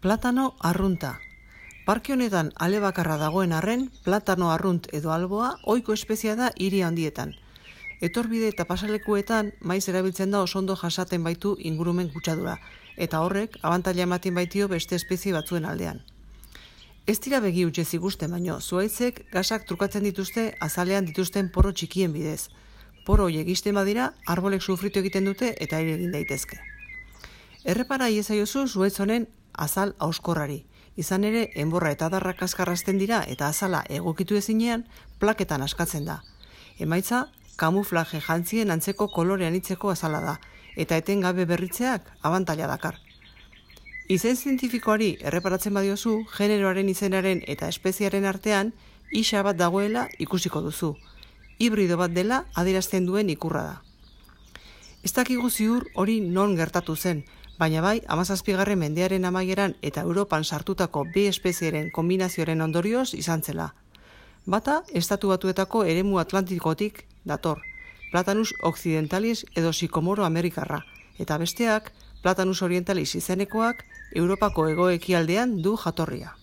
Platano arrunta. Parke honetan ale bakarra dagoen arren, platano arrunt edo alboa ohiko espeziea da hiri handietan. Etorbide eta pasalekuetan maiz erabiltzen da oso ondo jasaten baitu ingurumen kutsadura, eta horrek abantaila ematen baitio beste espezie batzuen aldean. Ez dira begi hutsez ikusten, baino zuhaitzek gasak trukatzen dituzte azalean dituzten poro txikien bidez. Poro horiek ixten badira, arbolek sufritu egiten dute eta ere egin daitezke. Errepara iezaiozu zuhaitz honen azal hauskorrari. Izan ere, enborra eta adarrak azkarrazten dira eta azala egokitu ezinean, plaketan askatzen da. Emaitza, kamuflaje jantzien antzeko kolorean itzeko azala da, eta etengabe berritzeak abantaila dakar. Izen zientifikoari erreparatzen badiozu, generoaren izenaren eta espeziaren artean, isa bat dagoela ikusiko duzu. Hibrido bat dela adierazten duen ikurra da. Ez dakigu ziur hori non gertatu zen, baina bai 17. mendearen amaieran eta Europan sartutako bi espezieren kombinazioaren ondorioz izan zela. Bata, Estatu Batuetako eremu atlantikotik dator, Platanus occidentalis edo sikomoro amerikarra, eta besteak, Platanus orientalis izenekoak, Europako hego-ekialdean du jatorria.